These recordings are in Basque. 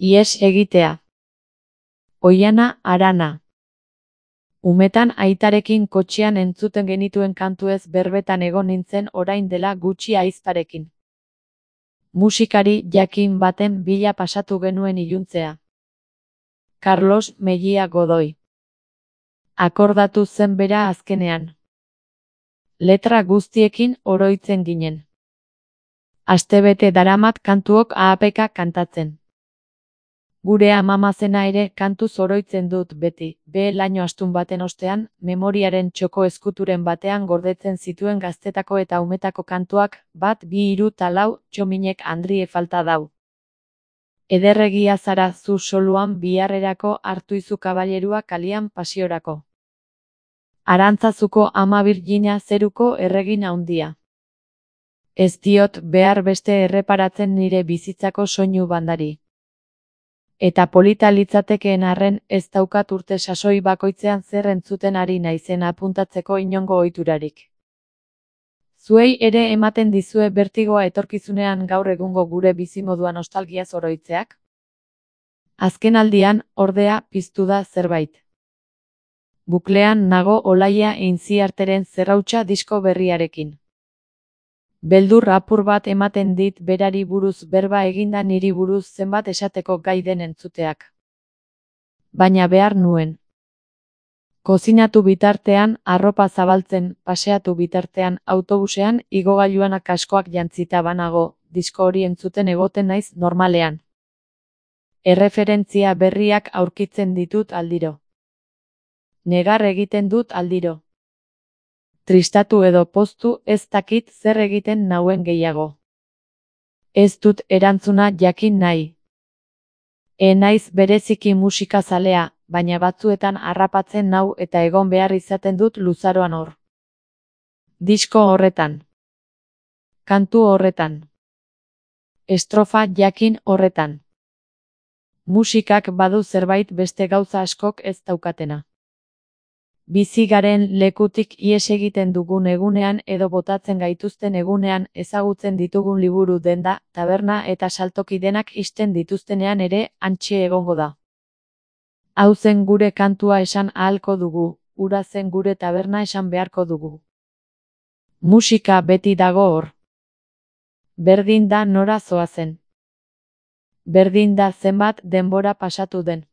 Ihes egitea. Oihana Arana. Umetan aitarekin kotxean entzuten genituen kantuez berbetan egon nintzen orain dela gutxi ahizparekin. Musikari jakin baten bila pasatu genuen iluntzea. Carlos Mejia Godoy. Akordatu zen bera azkenean. Letra guztiekin oroitzen ginen. Astebete daramat kantuok ahapeka kantatzen. Gure amamazena ere kantuz oroitzen dut beti, laino astun baten ostean, memoriaren txoko eskuturen batean gordetzen zituen gaztetako eta umetako kantuak, 1, 2, 3 ta 4, txominek handrie falta dau. Ederregia zara zu soluan biharrerako hartuizu kabalerua kalian pasiorako. Arantzazuko ama Virgina zeruko erregin haundia. Ez diot behar beste erreparatzen nire bizitzako soinu bandari. Eta polita litzatekeen arren ez daukat urte sasoi bakoitzean zer entzuten ari naizen apuntatzeko inongo ohiturarik. Zuei ere ematen dizue bertigoa etorkizunean gaur egungo gure bizimodua nostalgiaz oroitzeak? Azkenaldian, ordea, piztu da zerbait. Buklean nago Olaia Intziarteren Zerrautsa disko berriarekin. Beldur apur bat ematen dit berari buruz berba eginda niri buruz zenbat esateko gai den entzuteak. Baina behar nuen. Kozinatu bitartean, arropa zabaltzen, paseatu bitartean, autobusean, igogailuan kaskoak jantzita banago, disko hori entzuten egoten naiz normalean. Erreferentzia berriak aurkitzen ditut aldiro. Negar egiten dut aldiro. Tristatu edo poztu ez dakit zer egiten nauen gehiago. Ez dut erantzuna jakin nahi. Naiz bereziki musika zalea, baina batzuetan harrapatzen nau eta egon behar izaten dut luzaroan hor. Disko horretan. Kantu horretan. Estrofa jakin horretan. Musikak badu zerbait beste gauza askok ez daukatena. Bizi garen lekutik ihes egiten dugun egunean edo botatzen gaituzten egunean ezagutzen ditugun liburu denda, taberna eta saltoki denak ixten dituztenean ere hantxe egongo da. Hau zen gure kantua esan ahalko dugu, hura zen gure taberna esan beharko dugu. Musika beti dago hor. Berdin da nora zoazen. Berdin da zenbat denbora pasatu den.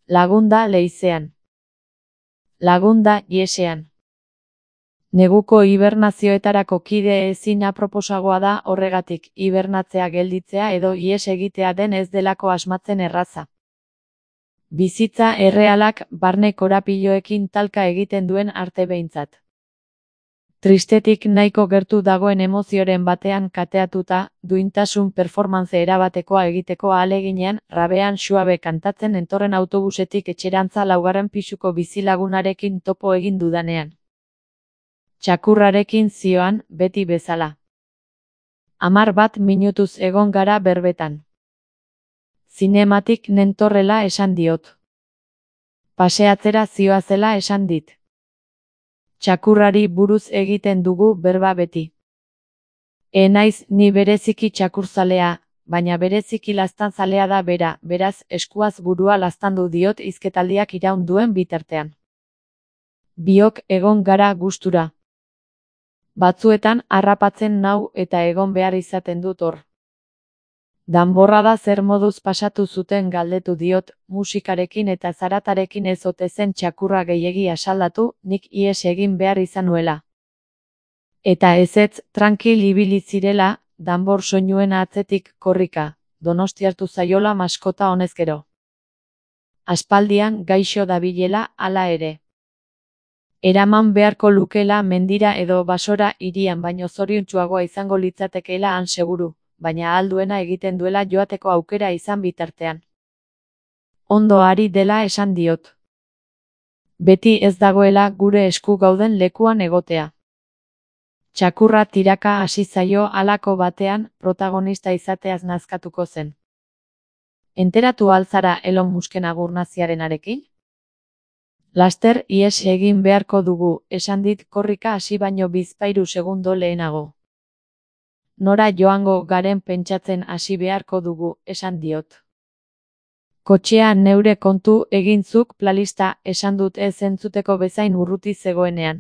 Lagunda leizean. Lagunda ihesean. Neguko hibernazioetarako kide ezin aproposagoa da horregatik hibernatzea gelditzea edo ihes egitea den ez delako asmatzen erraza. Bizitza errealak barne korapiloekin talka egiten duen arte behintzat. Tristetik nahiko gertu dagoen emozioren batean kateatuta, duintasun performance erabatekoa egiteko ahaleginean, rabean suabe kantatzen entorren autobusetik etxerantza 4. pisuko bizilagunarekin topo egin dudanean. Txakurrarekin zioan, beti bezala. 11 minutuz egon gara berbetan. Zinematik nentorrela esan diot. Paseatzera zioazela esan dit. Txakurrari buruz egiten dugu berba beti. Naiz ni bereziki txakurzalea, baina bereziki laztanzalea da bera, beraz eskuaz burua laztandu diot hizketaldiak iraun duen bitartean. Biok egon gara gustura. Batzuetan harrapatzen nau eta egon behar izaten dut hor. Danborra da zer moduz pasatu zuten galdetu diot, musikarekin eta zaratarekin ez ote zen txakurra gehiegi asaldatu, nik ihes egin behar izan nuela. Eta ezetz, trankil ibili zirela, danbor soinuen atzetik korrika, Donostiartu zaiola maskota honezkero. Aspaldian gaixo dabilela hala ere. Eraman beharko lukela mendira edo basora hirian baino zoriontsuagoa izango litzatekeela han seguru. Baina alduena egiten duela joateko aukera izan bitartean. Ondo ari dela esan diot. Beti ez dagoela gure esku gauden lekuan egotea. Txakurra tiraka hasi zaio halako batean protagonista izateaz nazkatuko zen. Enteratu alzara Elon Musken agur naziarenarekin? Laster ihes egin beharko dugu, esan dit korrika hasi baino 2-3 segundo lehenago. Nora joango garen pentsatzen hasi beharko dugu, esan diot. Kotxea neure kontu egin zuk, Planlista, esan dut ez entzuteko bezain urruti zegoenean.